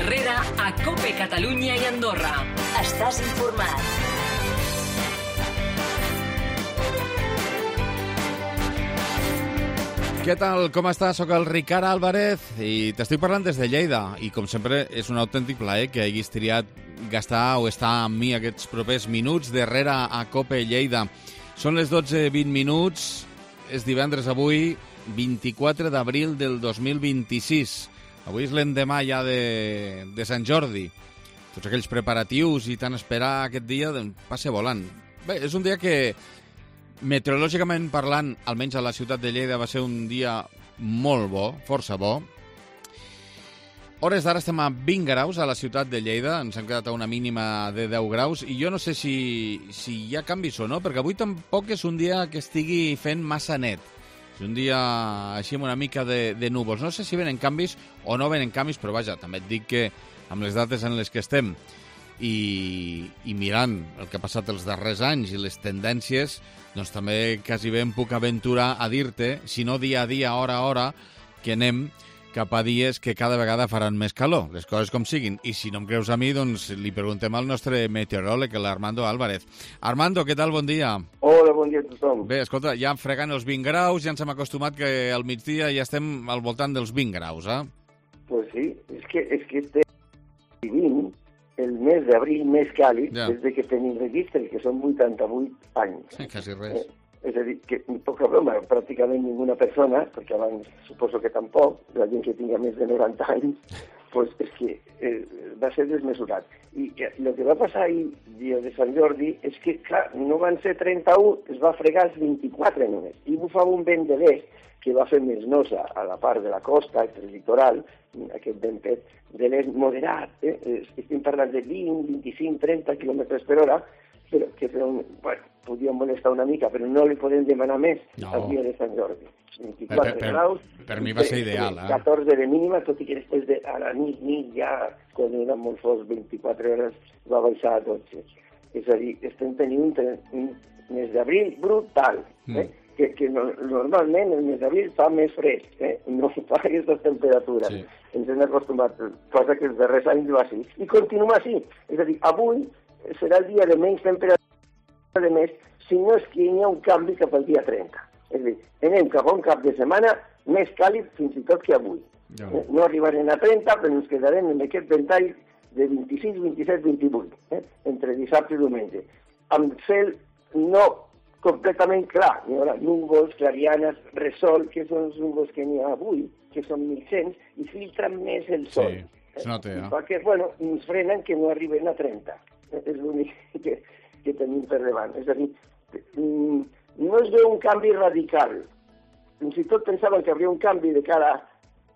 Herrera a COPE Catalunya i Andorra. Estàs informat. Què tal? Com estàs? Soc el Ricard Álvarez i t'estic parlant des de Lleida. I com sempre és un autèntic plaer que haguis triat gastar o estar amb mi aquests propers minuts d'Herrera a COPE Lleida. Són les 12:20, és divendres avui, 24 d'abril del 2026. Avui és l'endemà ja de Sant Jordi. Tots aquells preparatius i tant esperar aquest dia passa volant. Bé, és un dia que, meteorològicament parlant, almenys a la ciutat de Lleida, va ser un dia molt bo, força bo. Hores d'ara estem a 20 graus a la ciutat de Lleida, ens hem quedat a una mínima de 10 graus, i jo no sé si hi ha canvis o no, perquè avui tampoc és un dia que estigui fent massa net. És un dia així amb una mica de núvols. No sé si venen canvis o no venen canvis, però vaja, també et dic que amb les dates en les que estem i mirant el que ha passat els darrers anys i les tendències, doncs també quasi bé em puc aventurar a dir-te, si no dia a dia, hora a hora, que anem cap a dies que cada vegada faran més calor, les coses com siguin. I si no em creus a mi, doncs li preguntem al nostre meteoròleg, l'Armando Álvarez. Armando, què tal? Bon dia. Hola, bon dia a tothom. Bé, escolta, ja fregant els 20 graus, ja ens hem acostumat que al migdia ja estem al voltant dels 20 graus, eh? Pues sí, és que estem vivint el mes d'abril més càlid des de que tenim registre, que són 88 anys. Sí, quasi res. És a dir, que poca broma, pràcticament ninguna persona, perquè abans suposo que tampoc, la gent que tinga més de 90 anys, pues és que va ser desmesurat. I el que va passar ahir, dia de Sant Jordi, és que, clar, no van ser 31, es va fregar els 24 només. I bufava un vent de l'est que va fer més nosa a la part de la costa, el litoral, aquest ventet de l'est moderat, estem parlant de 20, 25, 30 quilòmetres per hora, però que bueno, podíem molestar una mica, però no li podem demanar més al dia de Sant Jordi. 24 graus. Per mi va ser ideal, 14 de mínima, tot i que després a la nit ja, quan era molt fosc, 24 hores, va baixar a 12. És a dir, estem tenint un mes d'abril brutal, que normalment el mes d'abril fa més fresc, no fa aquestes temperatures. Sí. Ens hem acostumat, cosa que els darrers anys va així. I continua així. És a dir, avui serà el dia de menys temperatura de més, si no és que hi ha un canvi cap al dia 30. És a dir, anem cap a un cap de setmana més càlid fins i tot que avui. No arribarem a 30, però ens quedarem en aquest ventall de 26, 27, 28, entre dissabte i diumenge. Amb cel no completament clar, hi haurà núvols, clarianes, resol, que són els núvols que n'hi ha avui, que són 1.100, i filtren més el sol. Sí, es nota, perquè, bueno, ens frenen que no arriben a 30. És l'únic que tenim per davant. És a dir, no es veu un canvi radical. Fins i tot pensaven que hi hauria un canvi de cara,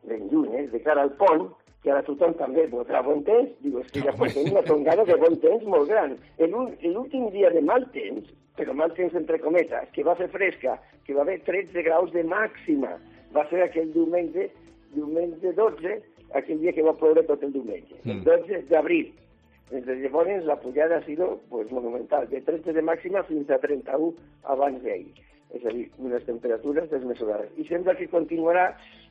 ben lluny, de cara al pont, que ara tothom també votarà bon temps. Diu, és que ja tenim una tongada de bon temps molt gran. L'últim dia de mal temps, però mal temps entre cometes, que va fer fresca, que va haver 13 graus de màxima, va ser aquell diumenge 12, aquell dia que va ploure tot el diumenge, el 12 d'abril. Des de llavors la pujada ha sido monumental, de 13 de màxima fins a 31 abans d'ahir. És a dir, unes temperatures desmesurades. I sembla que continuarà,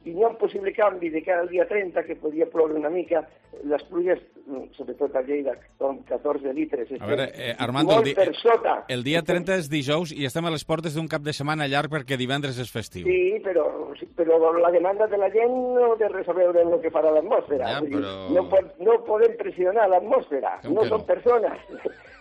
i hi ha un possible canvi de cara al dia 30, que podria ploure una mica. Les pluies, sobretot a Lleida, són 14 litres. A veure, Armando, molt per sota. El dia 30 és dijous i estem a les portes d'un cap de setmana llarg perquè divendres és festiu. Sí, però la demanda de la gent no té res a veure amb el que farà l'atmosfera. Ja, però... No podem pressionar l'atmosfera, no són persones.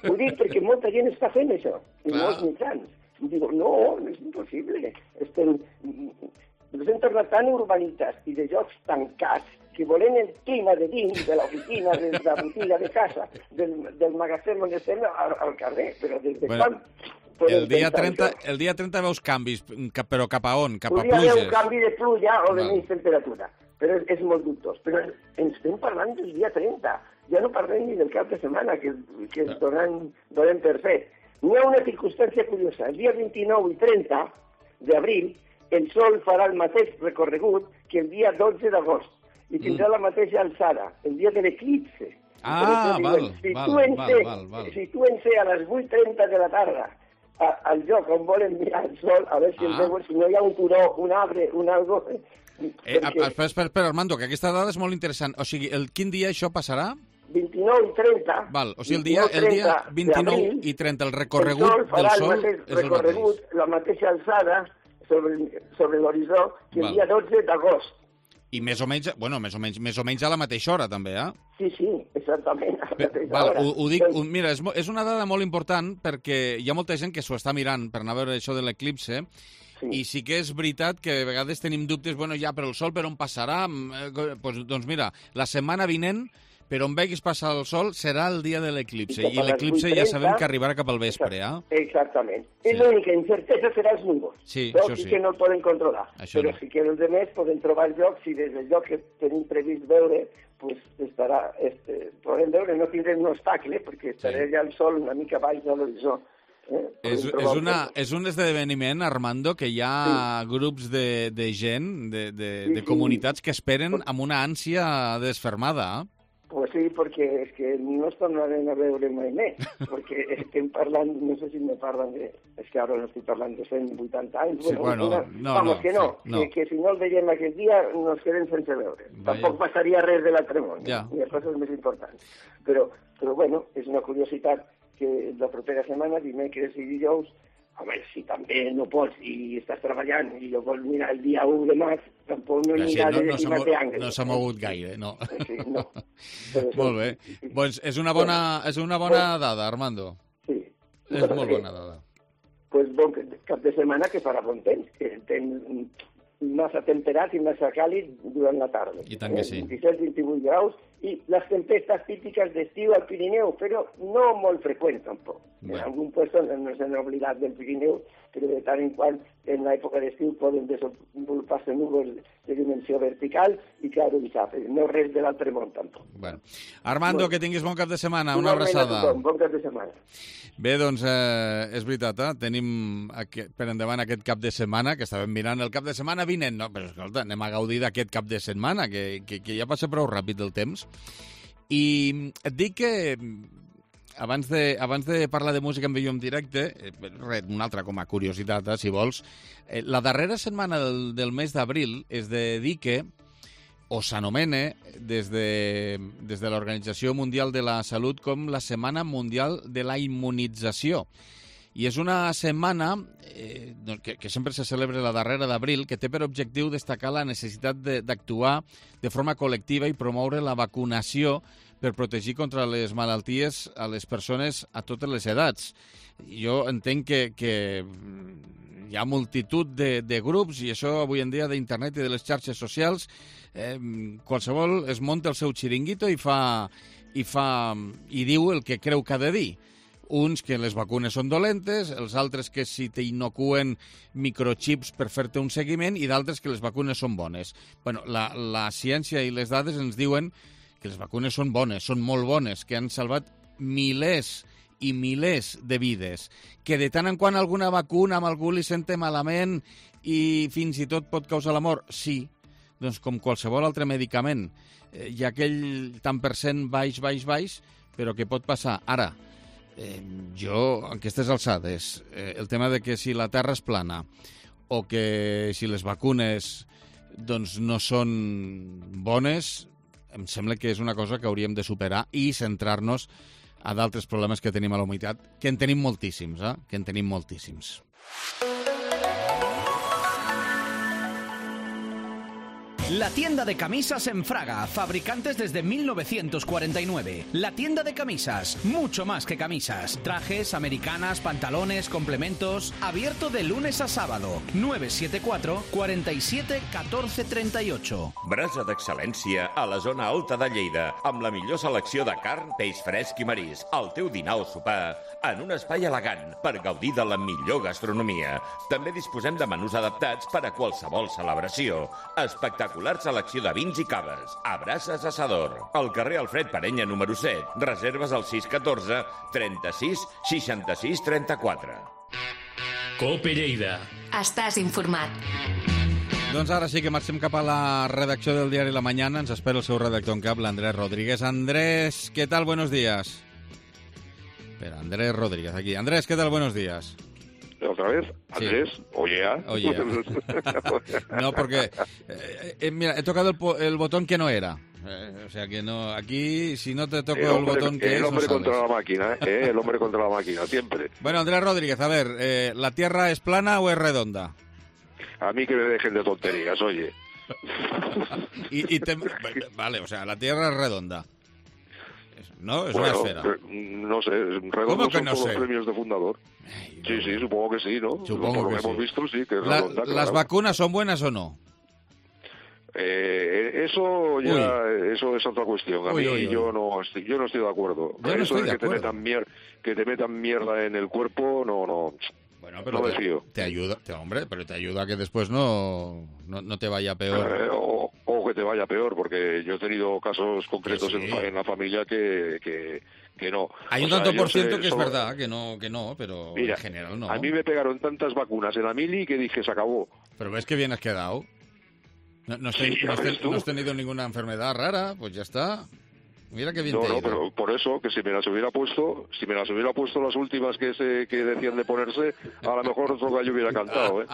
Ho dic perquè molta gent està fent això, i molts mitjans. Digo, no és impossible. Ens hem tornat tan urbanites i de llocs tancats que volem el clima de dins, de l'oficina, de la botiga de casa, del magatzem on estem al carrer. Però des de quan... El dia 30 veus canvis, però cap a on? Cap a pluges? Podria haver un canvi de pluja o de menys temperatura, però és molt dubtós. Però ens estem parlant del dia 30. Ja no parlem ni del cap de setmana, que ens donem per fet. N'hi ha una circumstància curiosa. El dia 29 i 30 d'abril el sol farà el mateix recorregut que el dia 12 d'agost i tindrà la mateixa alçada, el dia de l'eclipse. Si tu en sé a les 8:30 de la tarda al lloc on volen mirar el sol, a veure si el veuen, si no hi ha un turó, un arbre, un algo, Espera, Armando, que aquesta dada és molt interessant. O sigui, quin dia això passarà? 29 i 30. Val, o sigui, el dia 29 i 30, el recorregut del Sol és el mateix. La mateixa alçada sobre l'horitzó que el dia 12 d'agost. I més o menys a la mateixa hora, també, eh? Sí, exactament, a la mateixa hora. Ho dic, mira, és una dada molt important perquè hi ha molta gent que s'ho està mirant per anar a veure això de l'eclipse, i sí que és veritat que a vegades tenim dubtes, però el Sol per on passarà? Doncs mira, la setmana vinent, per on veguis passar el Sol, serà el dia de l'eclipse. I l'eclipse ja sabem que arribarà cap al vespre, eh? Exactament. I l'única incertesa serà els núvols. Sí, però això sí. que no el poden controlar. Però sí que els altres poden trobar llocs, i des del lloc que tenim previst veure, pues estarà, podem veure, no tindrem un obstacle, perquè estarà ja el Sol una mica baix de l'horitzó. És un esdeveniment, Armando, que hi ha grups de gent, de comunitats que esperen amb una ànsia desfermada, eh? Pues sí, perquè és que no es tornarem a veure mai més, perquè estem parlant, no sé si me parlen de... És que ara no estic parlant de 180 anys. Sí, que si no el veiem aquest dia nos quedem sense veure. Tampoc passaria res de l'altre món, ni les coses més importants. Però bueno, és una curiositat que la propera setmana, dimecres i dijous, home, si també no pots i estàs treballant i jo vols mirar el dia 1 de març, tampoc no anirà de àngel. No s'ha mogut gaire, no. Sí, no. Molt bé. Doncs és una bona dada, Armando. Sí. És molt bona dada. Doncs bon cap de setmana que farà bon temps, que temps massa temperat i massa càlid durant la tarda. I tant que sí. 27-28 graus, i les tempestes típiques d'estiu al Pirineu, però no molt freqüents tampoc. En algun puesto no s'han oblidat del Pirineu, però de tant en quant en l'època d'estiu poden desenvolupar-se núvols de dimensió vertical i claro, no res de l'altre món tampoc. Bueno. Armando, que tinguis bon cap de setmana, una abraçada. Bon cap de setmana. Bé, doncs és veritat, tenim per endavant aquest cap de setmana, que estàvem mirant el cap de setmana vinent, no, però escolta, anem a gaudir d'aquest cap de setmana, que ja passa prou ràpid el temps. I et dic que abans de parlar de música en vídeo en directe, una altra com a curiositat, si vols, la darrera setmana del mes d'abril es dedica, o s'anomena des de l'Organització Mundial de la Salut com la Setmana Mundial de la Immunització. I és una setmana que sempre se celebra la darrera d'abril, que té per objectiu destacar la necessitat d'actuar de forma col·lectiva i promoure la vacunació per protegir contra les malalties a les persones a totes les edats. Jo entenc que hi ha multitud de grups, i això avui en dia d'internet i de les xarxes socials, qualsevol es munta el seu xiringuito i diu el que creu que ha de dir. Uns que les vacunes són dolentes, els altres que si t'inocuen microchips per fer-te un seguiment, i d'altres que les vacunes són bones. Bueno, la ciència i les dades ens diuen que les vacunes són bones, són molt bones, que han salvat milers i milers de vides, que de tant en quant alguna vacuna amb algú li sente malament i fins i tot pot causar la mort, sí, doncs com qualsevol altre medicament. Hi ha aquell tant per cent baix, però que pot passar. Ara, jo, en aquestes alçades, el tema de que si la Terra és plana o que si les vacunes doncs no són bones, em sembla que és una cosa que hauríem de superar i centrar-nos a d'altres problemes que tenim a la humanitat, que en tenim moltíssims, que en tenim moltíssims. La tienda de camisas en Fraga, fabricantes desde 1949. La tienda de camisas, mucho más que camisas. Trajes, americanas, pantalones, complementos. Abierto de lunes a sábado. 974 47 14 38. Brasa d'excel·lència a la zona alta de Lleida, amb la millor selecció de carn, peix fresc i marisc. El teu dinar o sopar en un espai elegant per gaudir de la millor gastronomia. També disposem de menús adaptats per a qualsevol celebració. Espectacular selecció de vins i caves. Abraças Assador. Al carrer Alfred Parenya, número 7. Reserves al 614 36 66 34. Cope Lleida. Estàs informat. Doncs ara sí que marxem cap a la redacció del diari La Mañana. Ens espera el seu redactor en cap, l'Andrés Rodríguez. Andrés, ¿qué tal? Buenos días. Espera, Andrés Rodríguez, aquí. Andrés, ¿qué tal? Buenos días. ¿Otra vez? Andrés, Sí. oye. No, porque, mira, he tocado el botón que no era. O sea que no, aquí si no te toco el botón que es, el hombre no contra sales. la máquina, el hombre contra la máquina, siempre. Bueno, Andrés Rodríguez, a ver, ¿la Tierra es plana o es redonda? A mí que me dejen de tonterías, oye. Vale, o sea, la Tierra es redonda. ¿No? Es una Bueno, esfera. no sé, ¿Cómo redondos que son no todos sé? los premios de fundador. Ay, Sí, sí, supongo que sí, ¿no? Supongo Por lo que que sí. hemos visto, sí, que es La- redonda, ¿Las claro. vacunas son buenas o no? Eso eso es otra cuestión. A Uy, mí uy, uy. yo no estoy de acuerdo. Yo no Eso estoy de de que te acuerdo. metan mierda en el cuerpo, no. Bueno, pero No me fío. te ayuda, hombre, pero te ayuda a que después no te vaya peor. O que te vaya peor, porque yo he tenido casos concretos Que sí. en la familia que no. Hay un O sea, tanto yo por sé, ciento que es solo- verdad, que no, pero Mira, en general no. a mí me pegaron tantas vacunas en la mili que dije, se acabó. Pero ves que bien has quedado. No has Sí, ya ves tú. no has tenido ninguna enfermedad rara, pues ya está. Mira qué bien te ha No, ido. pero por eso, que si me las hubiera puesto las últimas que decían de ponerse, a lo mejor otro gallo hubiera cantado, ¿eh?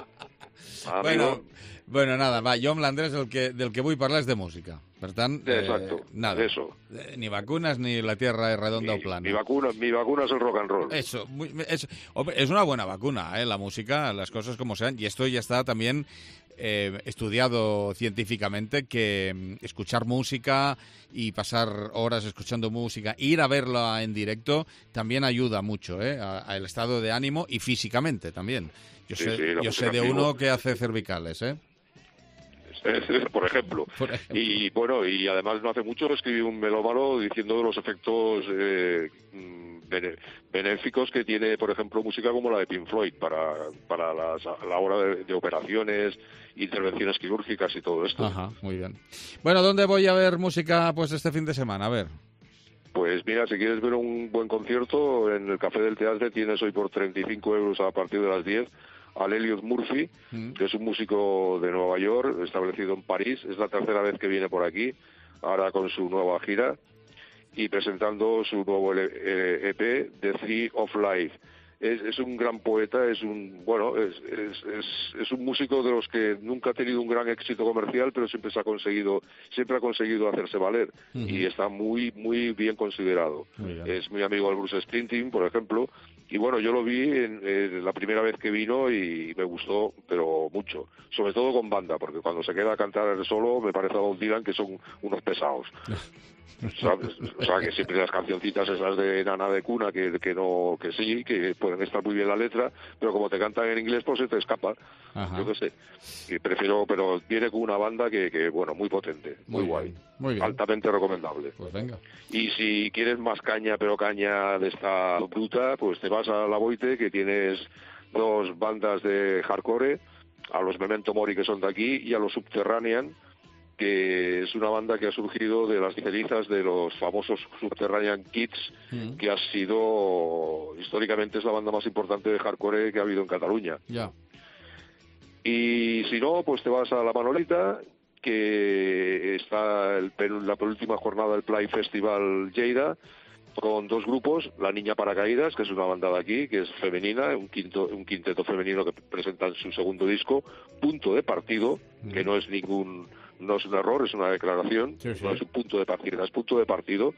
Amigo, Bueno, nada, va, jo amb l'Andrés del que vull parlar és de música. Per tant, Exacto, nada. eso. Ni vacunas ni la tierra es redonda o plana. mi vacuna es el rock and roll. Eso, hombre, es una buena vacuna, la música, las cosas como sean. Y esto ya está también estudiado científicamente, que escuchar música y pasar horas escuchando música, ir a verla en directo, también ayuda mucho al estado de ánimo y físicamente también. Yo Sí, sé, sí, la yo sé música de en vivo. uno que hace cervicales, Por ejemplo. Por ejemplo. Y bueno, y además no hace mucho escribí un melómano diciendo de los efectos benéficos que tiene, por ejemplo, música como la de Pink Floyd para la hora de operaciones, intervenciones quirúrgicas y todo esto. Ajá, muy bien. Bueno, ¿dónde voy a ver música pues este fin de semana? A ver. Pues mira, si quieres ver un buen concierto, en el Café del Teatro tienes hoy por 35 euros a partir de las 10 al Elliot Murphy, que es un músico de Nueva York, establecido en París. Es la tercera vez que viene por aquí, ahora con su nueva gira y presentando su nuevo EP, The Tree of Life. Es un gran poeta, es un músico de los que nunca ha tenido un gran éxito comercial, pero siempre ha conseguido hacerse valer y está muy muy bien considerado. Muy bien. Es muy amigo del Bruce Springsteen, por ejemplo, y bueno, yo lo vi en la primera vez que vino y me gustó, pero mucho, sobre todo con banda, porque cuando se queda a cantar él solo me parece a Bob Dylan que son unos pesados. ¿Sabes? O sea, que siempre las cancioncitas esas de nana de cuna que sí, que pueden estar muy bien la letra, pero como te cantan en inglés pues se te escapa. Ajá. Yo qué sé. Y prefiero, pero viene con una banda que bueno, muy potente, muy guay. bien, muy bien. Altamente recomendable. Pues venga. Y si quieres más caña, pero caña de esta bruta, pues te vas a La Boite, que tienes dos bandas de hardcore, a los Memento Mori, que son de aquí, y a los Subterranean, que es una banda que ha surgido de las cenizas de los famosos Subterranean Kids, que ha sido, históricamente, es la banda más importante de hardcore que ha habido en Cataluña. Ya. Y si no, pues te vas a La Manolita, que está la penúltima jornada del Play Festival Lleida, con dos grupos, La Niña Paracaídas, que es una banda de aquí, que es femenina, un quinteto femenino que presentan su segundo disco, Punto de Partido, que no es un error, es una declaración, Sí, sí. no es un punto de partida, es punto de partido.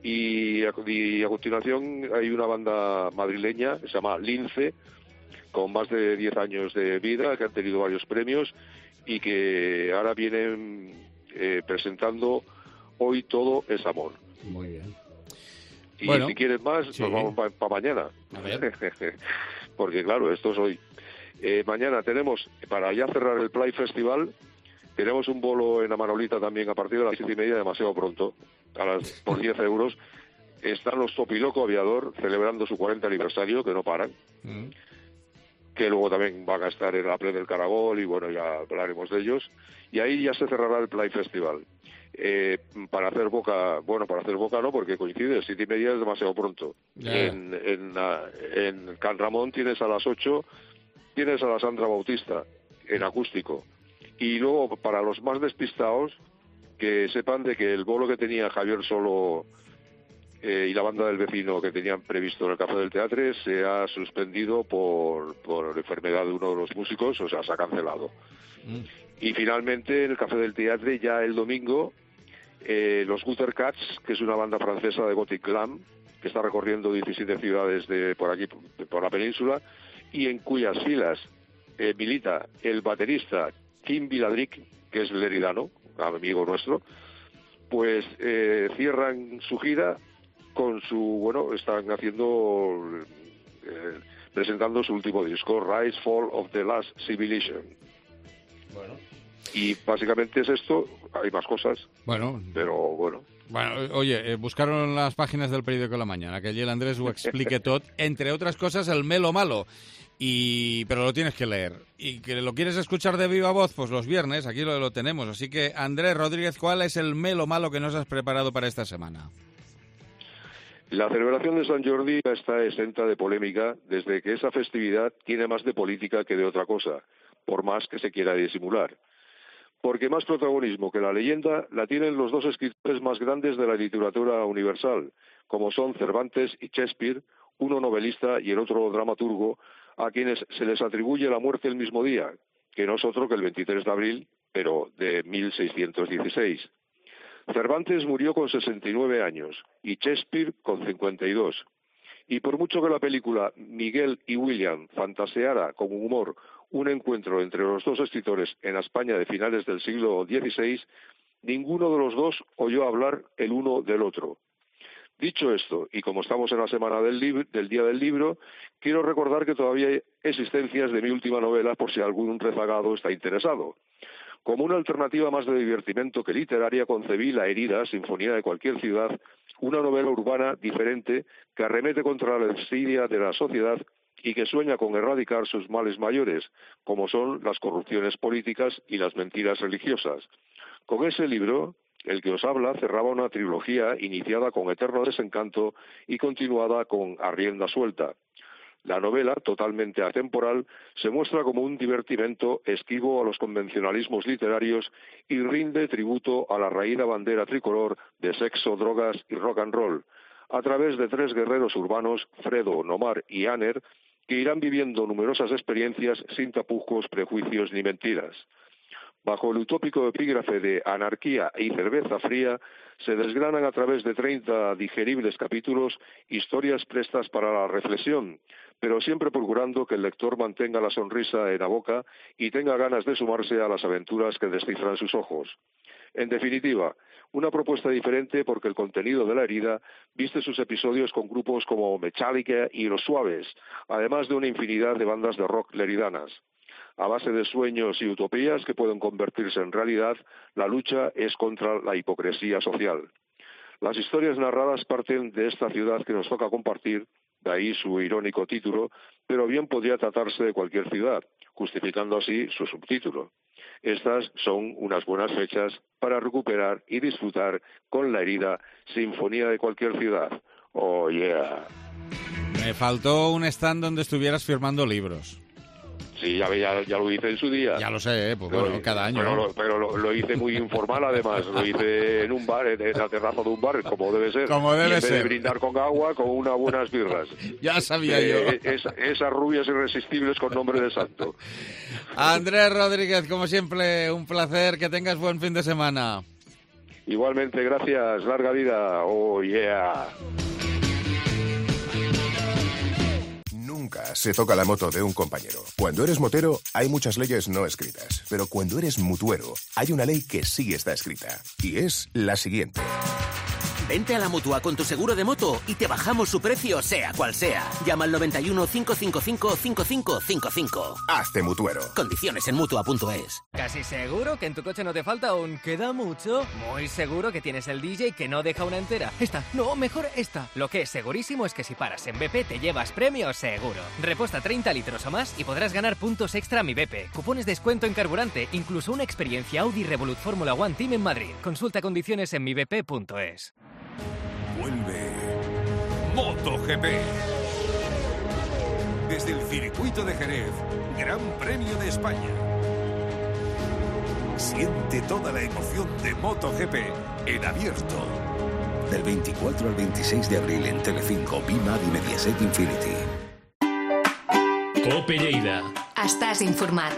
Y a continuación hay una banda madrileña, que se llama Lince, con más de 10 años de vida, que han tenido varios premios y que ahora vienen presentando Hoy Todo es Amor. Muy bien. Y Bueno, si quieres más, sí. nos vamos para mañana. A ver. Porque claro, esto es hoy. Mañana tenemos, para ya cerrar el Play Festival, tenemos un bolo en la Manolita también a partir de las 7:30, demasiado pronto, por 10 euros. Están los Topiloco Aviador celebrando su 40 aniversario, que no paran. Que luego también van a estar en la Play del Caragol y bueno, ya hablaremos de ellos. Y ahí ya se cerrará el Play Festival. Para hacer boca no, porque coincide, 7:30 es demasiado pronto. Ya. En Can Ramón tienes a las 8, tienes a la Sandra Bautista en acústico. Y luego, para los más despistados, que sepan de que el bolo que tenía Javier Solo y la banda del vecino que tenían previsto en el Café del Teatre se ha suspendido por enfermedad de uno de los músicos, o sea, se ha cancelado. Y finalmente en el Café del Teatre ya el domingo los Gutter Cats, que es una banda francesa de Gothic Glam, que está recorriendo 17 ciudades por aquí, por la península, y en cuyas filas milita el baterista Kim Viladric, que es leridano, amigo nuestro, pues cierran su gira con están presentando su último disco, Rise, Fall of the Last Civilization. Bueno. Y básicamente es esto, hay más cosas, pero bueno. Bueno, oye, buscaron las páginas del periódico La Mañana, que allí el Andrés ho explique tot, entre otras cosas el melo malo, pero lo tienes que leer. Y que lo quieres escuchar de viva voz, pues los viernes, aquí lo tenemos. Así que, Andrés Rodríguez, ¿cuál es el melo malo que nos has preparado para esta semana? La celebración de San Jordi está exenta de polémica desde que esa festividad tiene más de política que de otra cosa, por más que se quiera disimular. Porque más protagonismo que la leyenda la tienen los dos escritores más grandes de la literatura universal, como son Cervantes y Shakespeare, uno novelista y el otro dramaturgo, a quienes se les atribuye la muerte el mismo día, que no es otro que el 23 de abril, pero de 1616. Cervantes murió con 69 años y Shakespeare con 52. Y por mucho que la película Miguel y William fantaseara con humor un encuentro entre los dos escritores en la España de finales del siglo XVI, ninguno de los dos oyó hablar el uno del otro. Dicho esto, y como estamos en la semana del Día del Libro, quiero recordar que todavía hay existencias de mi última novela por si algún rezagado está interesado. Como una alternativa más de divertimento que literaria, concebí La herida, Sinfonía de cualquier ciudad, una novela urbana diferente que arremete contra la desidia de la sociedad y que sueña con erradicar sus males mayores, como son las corrupciones políticas y las mentiras religiosas. Con ese libro, el que os habla cerraba una trilogía iniciada con Eterno Desencanto y continuada con A rienda suelta. La novela, totalmente atemporal, se muestra como un divertimento esquivo a los convencionalismos literarios y rinde tributo a la raída bandera tricolor de sexo, drogas y rock and roll, a través de tres guerreros urbanos, Fredo, Nomar y Aner, que irán viviendo numerosas experiencias sin tapujos, prejuicios ni mentiras. Bajo el utópico epígrafe de anarquía y cerveza fría, se desgranan a través de 30 digeribles capítulos historias prestas para la reflexión, pero siempre procurando que el lector mantenga la sonrisa en la boca y tenga ganas de sumarse a las aventuras que descifran sus ojos. En definitiva, una propuesta diferente porque el contenido de La herida viste sus episodios con grupos como Metallica y Los Suaves, además de una infinidad de bandas de rock leridanas. A base de sueños y utopías que pueden convertirse en realidad, la lucha es contra la hipocresía social. Las historias narradas parten de esta ciudad que nos toca compartir, de ahí su irónico título, pero bien podría tratarse de cualquier ciudad, justificando así su subtítulo. Estas son unas buenas fechas para recuperar y disfrutar con La herida, Sinfonía de cualquier ciudad. Oh, yeah. Me faltó un stand donde estuvieras firmando libros. Sí, ya lo hice en su día. Ya lo sé, pues bueno, cada año. Pero lo hice muy informal, además. Lo hice en un bar, en la terraza de un bar, como debe ser. Como debe ser. En vez de brindar con agua, con unas buenas birras. Ya sabía yo. Esas rubias irresistibles con nombre de santo. Andrés Rodríguez, como siempre, un placer. Que tengas buen fin de semana. Igualmente, gracias. Larga vida. Oh, yeah. Nunca se toca la moto de un compañero. Cuando eres motero, hay muchas leyes no escritas. Pero cuando eres mutuero, hay una ley que sí está escrita. Y es la siguiente. Vente a la Mutua con tu seguro de moto y te bajamos su precio, sea cual sea. Llama al 91 555 5555. Hazte mutuero. Condiciones en Mutua.es. ¿Casi seguro que en tu coche no te falta un queda mucho? Muy seguro que tienes el DJ que no deja una entera. Esta, no, mejor esta. Lo que es segurísimo es que si paras en BP te llevas premio seguro. Reposta 30 litros o más y podrás ganar puntos extra a Mi BP, cupones descuento en carburante, incluso una experiencia Audi Revolut Fórmula One Team en Madrid. Consulta condiciones en mibp.es. Vuelve MotoGP. Desde el circuito de Jerez, Gran Premio de España. Siente toda la emoción de MotoGP en abierto. Del 24 al 26 de abril en Telecinco, Bimad y Mediaset Infinity. Cope Lleida. Estàs informat.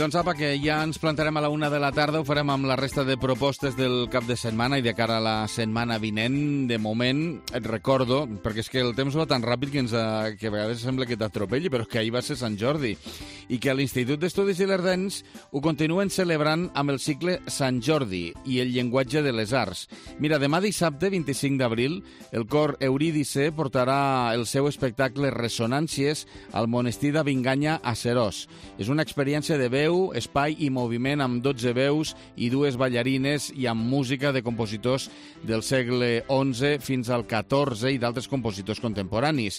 Doncs apa, que ja ens plantarem a la 1 de la tarda, ho farem amb la resta de propostes del cap de setmana i de cara a la setmana vinent. De moment, et recordo, perquè és que el temps va tan ràpid que a vegades sembla que t'atropelli, però que ahir va ser Sant Jordi, i que a l'Institut d'Estudis Ilerdencs ho continuen celebrant amb el cicle Sant Jordi i el llenguatge de les arts. Mira, demà dissabte, 25 d'abril, el cor Eurídice portarà el seu espectacle Ressonàncies al monestir de Vinganya a Serós. És una experiència de veu, espai i moviment amb 12 veus i 2 ballarines i amb música de compositors del segle XI fins al XIV i d'altres compositors contemporanis.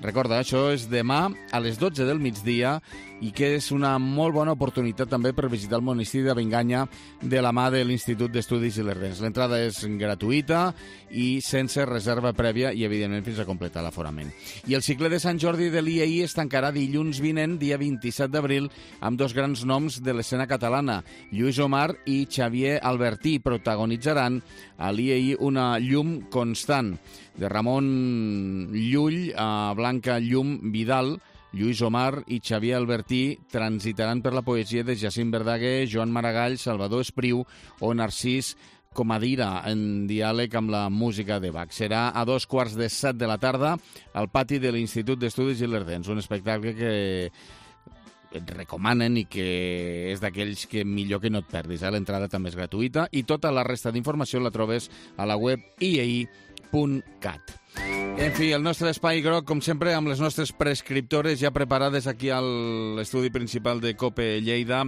Recorda, això és demà a les 12 del migdia i que és una molt bona oportunitat també per visitar el monestir de Vinganya de la mà de l'Institut d'Estudis Ilerdencs. L'entrada és gratuïta i sense reserva prèvia i, evidentment, fins a completar l'aforament. I el cicle de Sant Jordi de l'IEI es tancarà dilluns vinent, dia 27 d'abril, amb 2 grans noms de l'escena catalana. Lluís Omar i Xavier Albertí protagonitzaran a l'IEI Una llum constant, de Ramon Llull a Blanca Llum Vidal. Lluís Omar i Xavier Albertí transitaran per la poesia de Jacint Verdaguer, Joan Maragall, Salvador Espriu o Narcís Comadira, en diàleg amb la música de Bach. Serà a 2:15 de la tarda al pati de l'Institut d'Estudis Ilerdencs, un espectacle que et recomanen i que és d'aquells que millor que no et perdis. L'entrada també és gratuïta i tota la resta d'informació la trobes a la web iei.cat. En fi, el nostre espai groc, com sempre, amb les nostres prescriptores ja preparades aquí a l'estudi principal de COPE Lleida.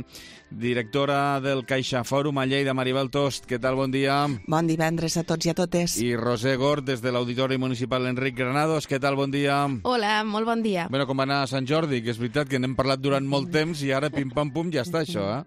Directora del Caixa Fòrum a Lleida, Maribel Tost, què tal? Bon dia. Bon divendres a tots i a totes. I Roser Gort, des de l'Auditori Municipal Enric Granados, què tal? Bon dia. Hola, molt bon dia. Bueno, com va anar a Sant Jordi, que és veritat que n'hem parlat durant molt temps i ara pim-pam-pum ja està això,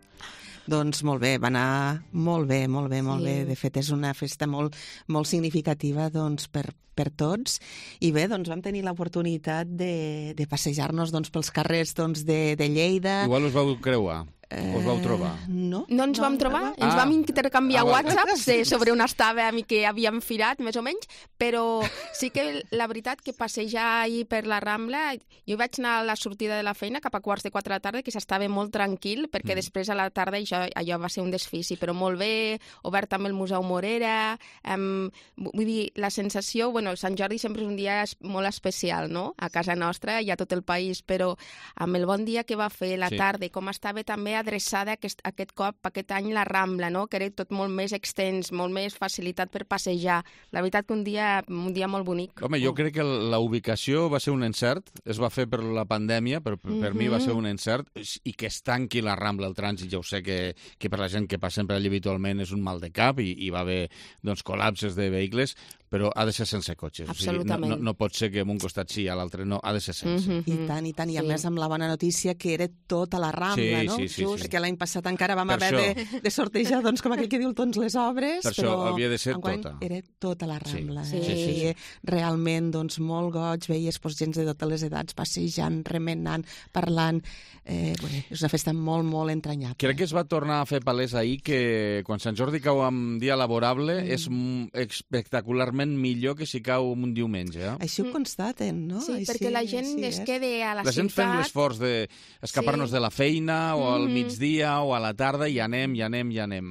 Doncs molt bé, va anar molt bé, molt bé, molt bé. De fet, és una festa molt significativa doncs, per tots. I bé, doncs vam tenir l'oportunitat de passejar-nos pels carrers de Lleida. Igual us vau creuar. Us vau trobar? No ens vam trobar, ens vam intercanviar whatsapps sobre on estàvem i que havíem firat, més o menys, però sí que la veritat que passejar ahir per la Rambla, jo vaig anar a la sortida de la feina cap a 3:45 de la tarda, que s'estava molt tranquil, perquè després a la tarda allò va ser un desfici, però molt bé, obert també el Museu Morera, vull dir, la sensació, bueno, Sant Jordi sempre és un dia molt especial, no?, a casa nostra i a tot el país, però amb el bon dia que va fer la tarda, com estava també adreçada aquest cop, aquest any, la Rambla, no?, que era tot molt més extens, molt més facilitat per passejar. La veritat que un dia molt bonic. Home, jo crec que la ubicació va ser un encert, es va fer per la pandèmia, però per mi va ser un encert, i que es tanqui la Rambla, el trànsit, ja ho sé que per la gent que passa sempre allà habitualment és un mal de cap i va haver col·lapses de vehicles, però ha de ser sense cotxes. Absolutament. O sigui, no pot ser que en un costat sí i a l'altre no, ha de ser sense. I tant, i a més amb la bona notícia que era tota la Rambla, no? Sí. Perquè l'any passat encara vam haver de sortejar, doncs, com aquell que diu, doncs, les obres, per però això havia de ser tota. Era tota la Rambla. Sí. Realment, doncs, molt goig, veies gent de totes les edats passejant, remenant, parlant. És una festa molt, molt entranyable. Crec que es va tornar a fer palès ahir que quan Sant Jordi cau en dia laborable és espectacularment millor que si cau un diumenge. Així ho constaten, no? Sí, perquè la gent es queda a la ciutat. La gent fem l'esforç d'escapar-nos de la feina o al migdia o a la tarda i anem.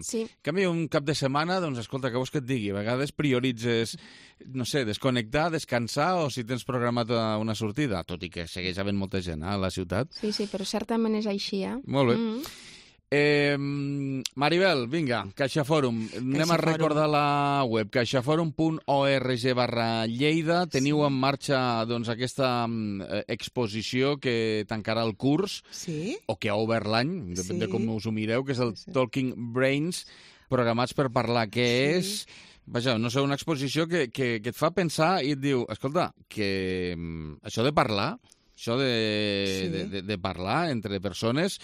Sí. En canvi, un cap de setmana, doncs, escolta, què vols que et digui? A vegades prioritzes, no sé, desconnectar, descansar o si tens programat una sortida, tot i que segueix havent molta gent a la ciutat. Sí, però certament és així, Molt bé. Maribel, vinga, Caixa Fòrum. Anem a recordar la web, caixaforum.org/Lleida. Teniu en marxa aquesta exposició que tancarà el curs, o que ha obert l'any, depèn de com us ho mireu, que és el Talking Brains, programats per parlar, que és... Vaja, no sé, una exposició que et fa pensar i et diu, escolta, que això de parlar, això de parlar entre persones,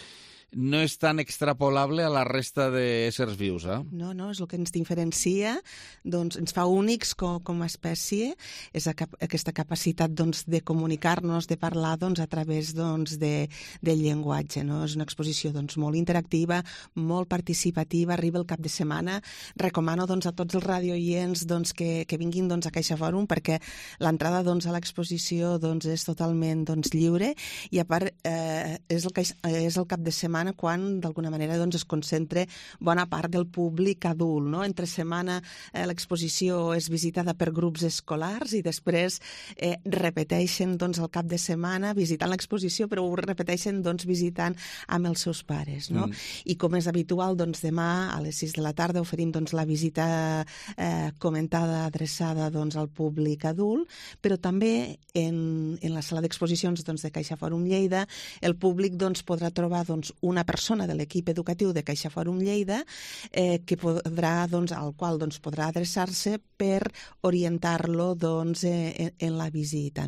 no és tan extrapolable a la resta d'éssers vius, eh? No, és el que ens diferencia, doncs ens fa únics com a espècie, és aquesta capacitat de comunicar-nos, de parlar a través del llenguatge. És una exposició molt interactiva, molt participativa, arriba el cap de setmana. Recomano a tots els radiooients que vinguin a Caixa Fòrum, perquè l'entrada a l'exposició és totalment lliure, i a part és el cap de setmana quan d'alguna manera es concentra bona part del públic adult. Entre setmana l'exposició és visitada per grups escolars i després repeteixen el cap de setmana visitant l'exposició, però ho repeteixen visitant amb els seus pares. I com és habitual, demà a les 6 de la tarda oferim la visita comentada adreçada al públic adult, però també en la sala d'exposicions de Caixa Fòrum Lleida el públic podrà trobar una persona de l'equip educatiu de Caixa Fòrum Lleida al qual podrà adreçar-se per orientar-lo en la visita,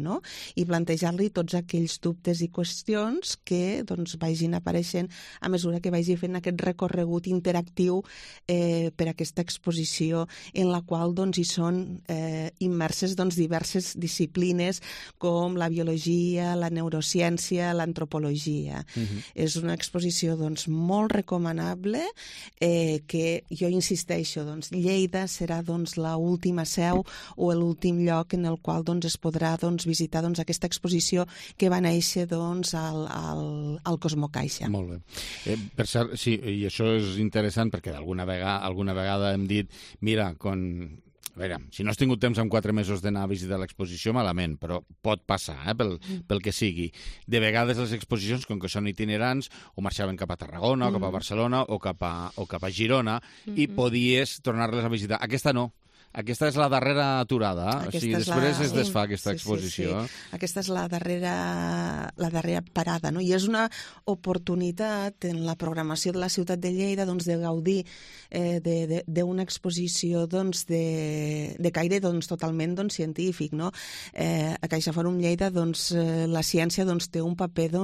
i plantejar-li tots aquells dubtes i qüestions que vagin apareixent a mesura que vagi fent aquest recorregut interactiu per aquesta exposició, en la qual hi són immerses diverses disciplines com la biologia, la neurociència, l'antropologia. És una exposició molt recomanable, que jo insisteixo, Lleida serà l'última seu o l'últim lloc en el qual es podrà visitar aquesta exposició que va néixer al Cosmocaixa. Molt bé. Per cert, sí, i això és interessant perquè alguna vegada hem dit, mira, a veure, si no has tingut temps en 4 mesos d'anar a visitar l'exposició, malament, però pot passar, pel que sigui. De vegades les exposicions, com que són itinerants, o marxaven cap a Tarragona, o cap a Barcelona, o cap a Girona, i podies tornar-les a visitar. Aquesta no. Aquesta és la darrera aturada, o sigui, després es desfà aquesta exposició. Sí. Aquesta és la darrera parada, I és una oportunitat en la programació de la ciutat de Lleida de gaudir d'una exposició de caire totalment científic. A Caixa Fòrum Lleida la ciència té un paper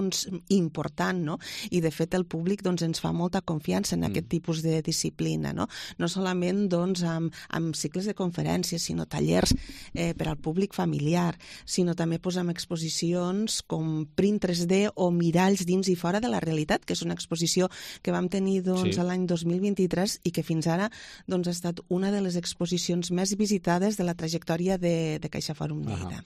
important, i de fet el públic ens fa molta confiança en aquest tipus de disciplina, no solament amb cicles de conferències, sinó tallers per al públic familiar, sinó també amb exposicions com Print 3D o Miralls dins i fora de la realitat, que és una exposició que vam tenir l'any 2023 i que fins ara ha estat una de les exposicions més visitades de la trajectòria de Caixa Fòrum Lleida.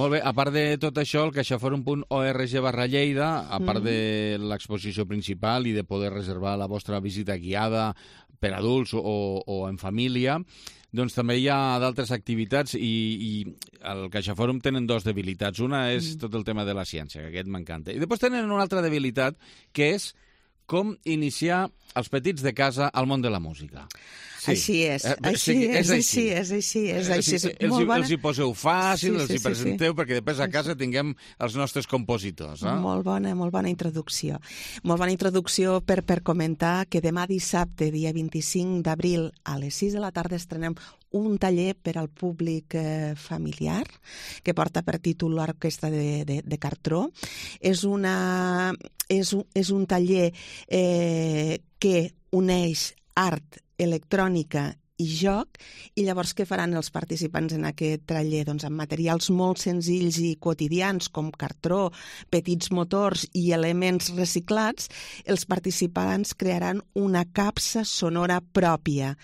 Molt bé, a part de tot això, el caixaforum.org/Lleida, a part de l'exposició principal i de poder reservar la vostra visita guiada per adults o en família, doncs també hi ha d'altres activitats i al CaixaFòrum tenen 2 debilitats. Una és tot el tema de la ciència, que aquest m'encanta. I després tenen una altra debilitat, que és com iniciar els petits de casa al món de la música. Sí. Així és. Els hi poseu fàcil, els hi presenteu, perquè després a casa tinguem els nostres compositors. Molt bona introducció. Molt bona introducció per comentar que demà dissabte, dia 25 d'abril, a les 6 de la tarda estrenem un taller per al públic familiar, que porta per títol l'Orquestra de Cartró. És un taller que uneix art, electrònica i joc, i llavors què faran els participants en aquest taller? Doncs amb materials molt senzills i quotidians com cartró, petits motors i elements reciclats, els participants crearan una capsa sonora pròpia.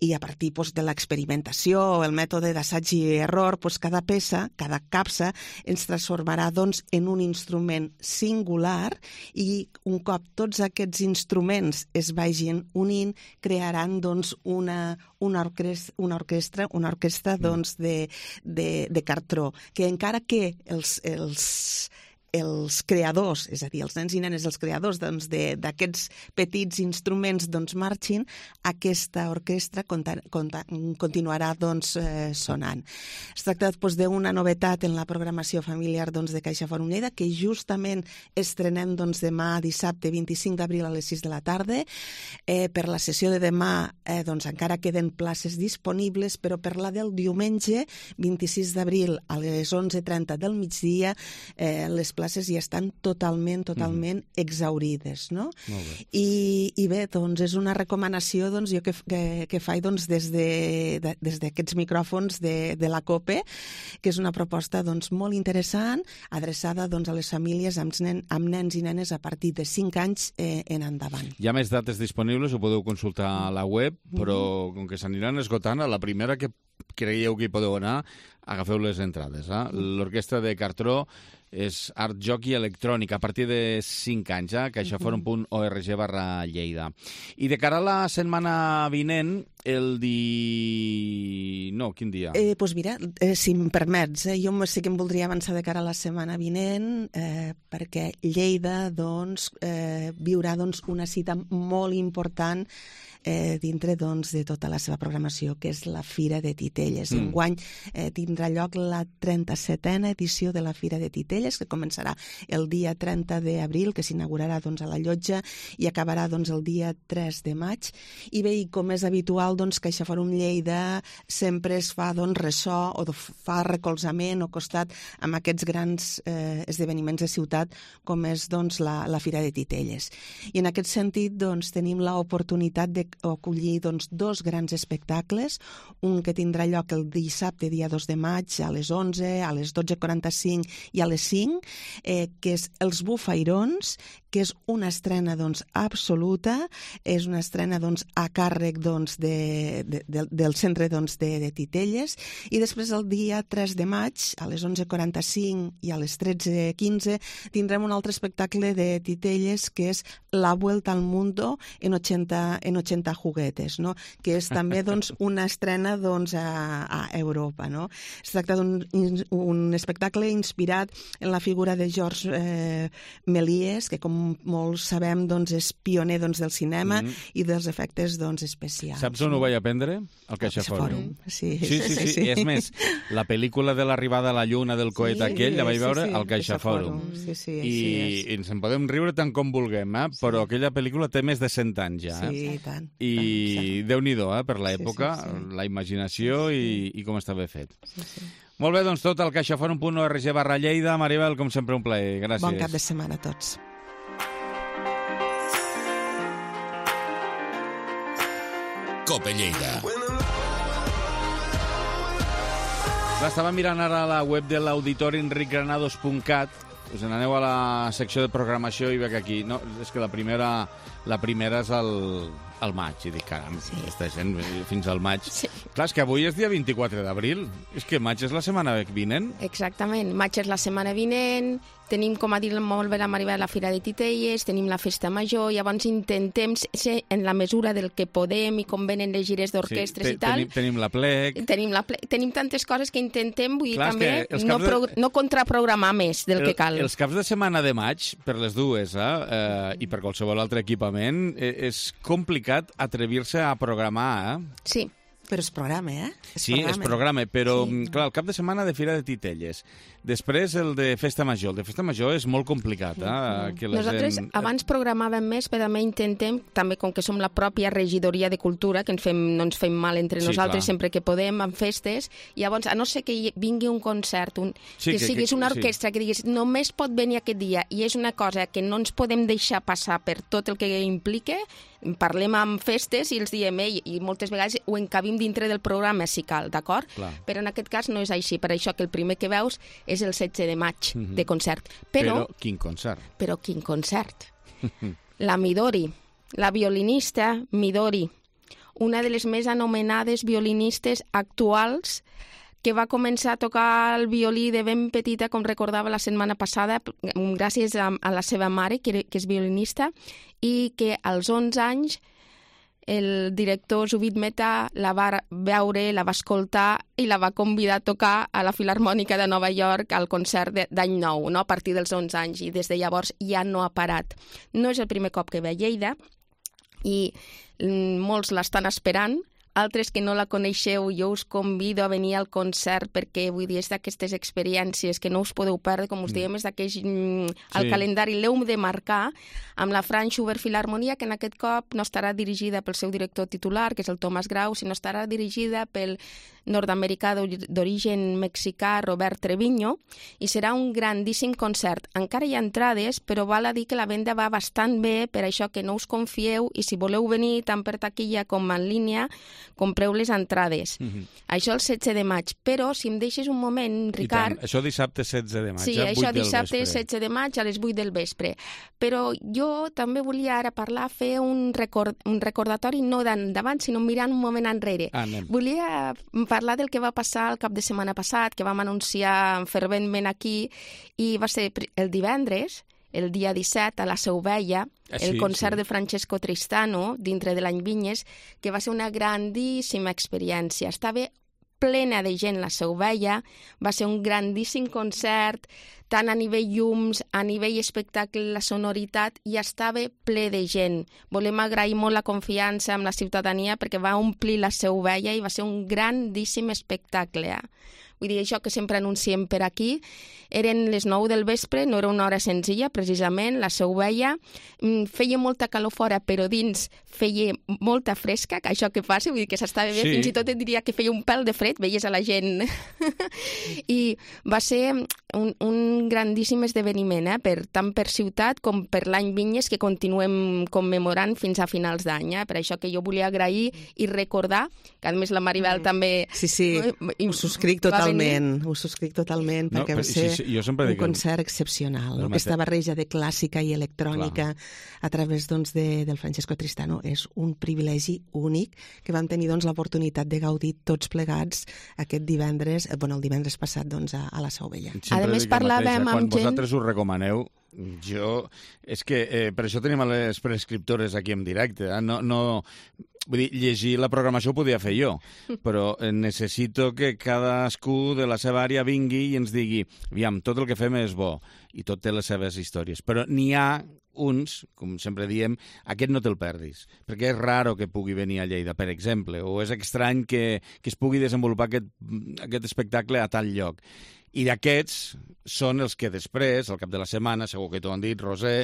I a partir de l'experimentació, el mètode d'assaig i error, cada peça, cada capsa, ens transformarà en un instrument singular, i un cop tots aquests instruments es vagin unint, crearan una orquestra de cartró, que encara que els creadors, és a dir, els nens i nenes, els creadors d'aquests petits instruments marxin, aquesta orquestra continuarà sonant. Es tracta d'una novetat en la programació familiar de Caixa Fòrum Lleida, que justament estrenem demà dissabte 25 d'abril a les 6 de la tarda. Per la sessió de demà encara queden places disponibles, però per la del diumenge 26 d'abril a les 11:30 del migdia les places ja estan totalment exhaurides, no? I bé, doncs és una recomanació jo que faig des d'aquests micròfons de la COPE, que és una proposta molt interessant, adreçada a les famílies amb nens i nenes a partir de 5 anys en endavant. Hi ha més dates disponibles, ho podeu consultar a la web, però com que s'aniran esgotant, a la primera que creieu que hi podeu anar, agafeu les entrades. L'Orquestra de Cartró és art, joc i electrònica a partir de 5 anys, caixaforum.org/Lleida. I de cara a la setmana vinent, quin dia? Doncs mira, si em permets, jo sí que em voldria avançar de cara a la setmana vinent, perquè Lleida viurà una cita molt important dintre de tota la seva programació, que és la Fira de Titelles. Enguany tindrà lloc la 37a edició de la Fira de Titelles, que començarà el dia 30 d'abril, que s'inaugurarà a la Llotja i acabarà el dia 3 de maig. I bé, com és habitual, CaixaForum Lleida sempre es fa ressò o fa recolzament o costat amb aquests grans esdeveniments de ciutat, com és la Fira de Titelles. I en aquest sentit tenim l'oportunitat d'acollir 2 grans espectacles, un que tindrà lloc el dissabte, dia 2 de maig, a les 11, a les 12:45 i a les 5, que és Els Bufairons, que és una estrena absoluta, és una estrena a càrrec del centre de Titelles, i després el dia 3 de maig, a les 11:45 i a les 13:15, tindrem un altre espectacle de Titelles, que és La Vuelta al Mundo en 80 juguetes, no? Que és també una estrena a Europa. No? Es tracta d'un espectacle inspirat en la figura de Georges Méliès, que com molts sabem és pioner del cinema i dels efectes especials. Saps on ho vaig aprendre? Al CaixaForum. Sí. I és més, la pel·lícula de l'arribada a la Lluna del coet aquell la vaig veure al CaixaForum. I ens en podem riure tant com vulguem, però aquella pel·lícula té més de 100 anys ja. Sí, tant. I Déu-n'hi-do, per l'època, la imaginació i com està ben fet. Molt bé, tot al caixaforum.org/Lleida. Maribel, com sempre, un plaer. Gràcies. Bon cap de setmana a tots. COPE Lleida. Estava mirant ara la web de l'auditori enricgranados.cat. Us n'aneu a la secció de programació i veig aquí. No, és que la primera és al maig. I dic, caram, aquesta gent fins al maig. Clar, és que avui és dia 24 d'abril. És que maig és la setmana vinent. Exactament. Maig és la setmana vinent. Tenim, com ha dit molt bé la Maribel, la Fira de Titelles, tenim la Festa Major, llavors intentem ser en la mesura del que podem i com venen les gires d'orquestres i tal. Tenim la plec. Tenim tantes coses que intentem, vull dir, també no contraprogramar més del que cal. Els caps de setmana de maig, per les dues, i per qualsevol altre equipament, és complicat atrevir-se a programar, Sí. Però es programa, es programa, però, clar, el cap de setmana de Fira de Titelles. Després el de Festa Major. El de Festa Major és molt complicat. Nosaltres abans programàvem més, però també intentem, també com que som la pròpia regidoria de cultura, que no ens fem mal entre nosaltres sempre que podem, amb festes, llavors, a no ser que vingui un concert, que siguis una orquestra, que diguis, només pot venir aquest dia, i és una cosa que no ens podem deixar passar per tot el que implica, parlem amb festes i els diem, i moltes vegades ho encabim dintre del programa si cal, d'acord? Però en aquest cas no és així, per això que el primer que veus és el 16 de maig de concert. Però quin concert? Però quin concert? La Midori, la violinista Midori, una de les més anomenades violinistes actuals, que va començar a tocar el violí de ben petita, com recordava la setmana passada, gràcies a la seva mare, que és violinista, i que als 11 anys el director Zubin Mehta la va veure, la va escoltar i la va convidar a tocar a la Filharmònica de Nova York al concert d'any nou, a partir dels 11 anys, i des de llavors ja no ha parat. No és el primer cop que ve a Lleida i molts l'estan esperant. Altres que no la coneixeu, jo us convido a venir al concert perquè, vull dir, és d'aquestes experiències que no us podeu perdre, com us diem, és d'aquells... El calendari l'heu de marcar amb la Franz Schubert Filharmonia, que en aquest cop no estarà dirigida pel seu director titular, que és el Thomas Grau, sinó estarà dirigida pel nord-americà d'origen mexicà, Robert Treviño, i serà un grandíssim concert. Encara hi ha entrades, però val a dir que la venda va bastant bé, per això que no us confieu, i si voleu venir tant per taquilla com en línia, compreu les entrades. Això el 16 de maig. Però, si em deixes un moment, Ricard... I tant, això dissabte 16 de maig, sí, a 8 això del dissabte vespre. 16 de maig a les 8 del vespre. Però jo també volia ara parlar, fer un recordatori no d'endavant, sinó mirant un moment enrere. Anem. Volia parlar del que va passar el cap de setmana passat, que vam anunciar ferventment aquí, i va ser el divendres, el dia 17, a la Seu Vella, el concert de Francesco Tristano, dintre de l'any Vinyes, que va ser una grandíssima experiència. Estava plena de gent la Seu Vella, va ser un grandíssim concert, tant a nivell llums, a nivell espectacle, la sonoritat, i estava ple de gent. Volem agrair molt la confiança amb la ciutadania perquè va omplir la Seu Vella i va ser un grandíssim espectacle. Vull dir, això que sempre anunciem per aquí, eren les 9 del vespre, no era una hora senzilla, precisament, la Seu Vella. Feia molta calor fora, però dins feia molta fresca, que això que passa, vull dir que s'estava bé, fins i tot et diria que feia un pèl de fred, veies a la gent. I va ser un grandíssim esdeveniment, tant per ciutat com per l'any Vinyes, que continuem commemorant fins a finals d'any. Per això que jo volia agrair i recordar, que a més la Maribel també... Sí, ho subscric totalment, perquè va ser un concert excepcional. Aquesta barreja de clàssica i electrònica a través del Francesco Tristano és un privilegi únic que vam tenir l'oportunitat de gaudir tots plegats aquest divendres, el divendres passat a la Seu Vella. A més, parlàvem amb gent... Quan vosaltres ho recomaneu, és que per això tenim les prescriptores aquí en directe. Vull dir, llegir la programació ho podia fer jo, però necessito que cadascú de la seva àrea vingui i ens digui, aviam, tot el que fem és bo i tot té les seves històries, però n'hi ha uns, com sempre diem, aquest no te'l perdis, perquè és raro que pugui venir a Lleida, per exemple, o és estrany que es pugui desenvolupar aquest espectacle a tal lloc. I d'aquests són els que després, al cap de la setmana, segur que t'ho han dit, Roser,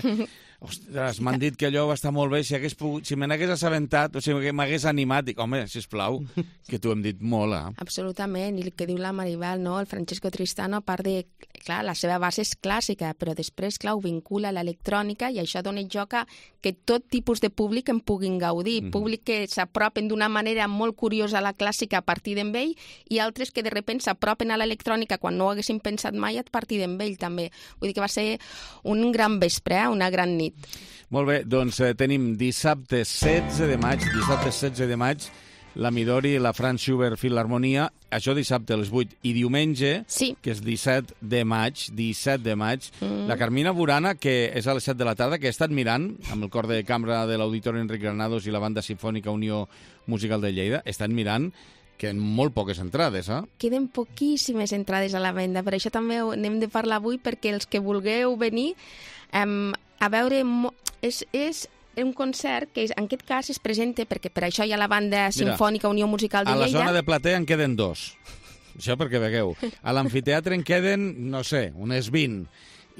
ostres, m'han dit que allò va estar molt bé, si me n'hagués assabentat, o sigui, m'hagués animat, dic, home, sisplau, que t'ho hem dit molt, Absolutament, i el que diu la Maribel, no? El Francesco Tristano, a part de, clar, la seva base és clàssica, però després, clar, ho vincula a l'electrònica i això dona joc a que tot tipus de públic en puguin gaudir, públic que s'apropen d'una manera molt curiosa a la clàssica a partir d'en ell i altres que de repente s'apropen a l'electrònica quan no ho haguessin pensat mai a partir d'en ell també. Vull dir que va ser un gran vespre, una gran nit. Molt bé, doncs tenim dissabte 16 de maig, la Midori i la Franz Schubert Filharmonia, això dissabte a les 8, i diumenge, que és 17 de maig, la Carmina Burana, que és a les 7 de la tarda, que he estat mirant, amb el cor de cambra de l'Auditori Enric Granados i la Banda Simfònica Unió Musical de Lleida, he estat mirant que en molt poques entrades, Queden poquíssimes entrades a la venda, per això també n'hem de parlar avui, perquè els que vulgueu venir a veure... És un concert que en aquest cas es presenta, perquè per això hi ha la Banda Simfònica Unió Musical de Lleida. A la zona de platea en queden 2, això perquè vegueu. A l'amfiteatre en queden, no sé, unes 20,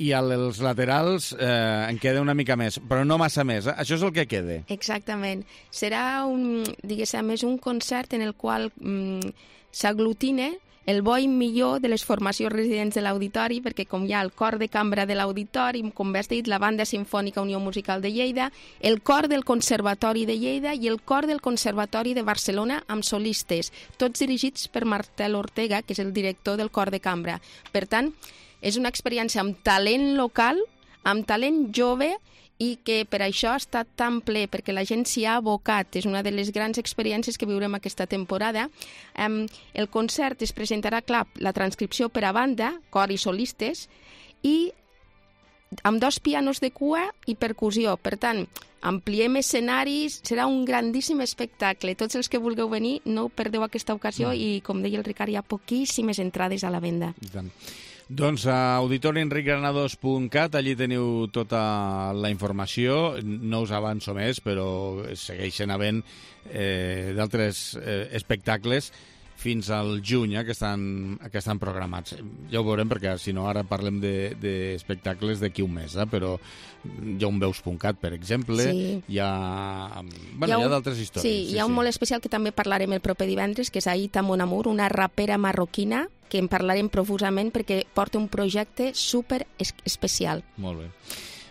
i als laterals en queda una mica més, però no massa més. Això és el que queda. Exactament. Serà un concert en el qual s'aglutina el bo i millor de les formacions residents de l'auditori, perquè com hi ha el cor de cambra de l'auditori, com bé has dit, la Banda Simfònica Unió Musical de Lleida, el cor del Conservatori de Lleida i el cor del Conservatori de Barcelona amb solistes, tots dirigits per Martel Ortega, que és el director del cor de cambra. Per tant, és una experiència amb talent local, amb talent jove, i que per això ha estat tan ple, perquè la gent s'hi ha abocat. És una de les grans experiències que viurem aquesta temporada. El concert es presentarà, clar, la transcripció per a banda, cor i solistes, i amb 2 pianos de cua i percussió. Per tant, ampliem escenaris, serà un grandíssim espectacle. Tots els que vulgueu venir, no perdeu aquesta ocasió i, com deia el Ricard, hi ha poquíssimes entrades a la venda. I tant. Doncs a auditorienricgranados.cat, allí teniu tota la informació, no us avanço més, però segueixen havent d'altres espectacles fins al juny, que estan programats. Ja ho veurem, perquè si no ara parlem d'espectacles d'aquí un mes, però hi ha un Veus.cat, per exemple, hi ha d'altres històries. Sí, hi ha un molt especial que també parlarem el proper divendres, que és Aïta Mon Amour, una rapera marroquina, que en parlarem profusament perquè porta un projecte super especial. Molt bé.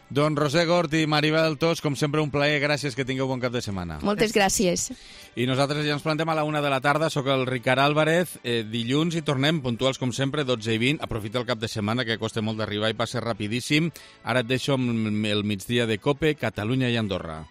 Doncs Roser Gort i Maribel Tos, com sempre, un plaer. Gràcies, que tingueu bon cap de setmana. Moltes gràcies. I nosaltres ja ens plantem a la 1 de la tarda. Soc el Ricard Álvarez. Dilluns hi tornem, puntuals com sempre, 12:20. Aprofita el cap de setmana, que costa molt d'arribar i passa rapidíssim. Ara et deixo amb el migdia de COPE, Catalunya i Andorra.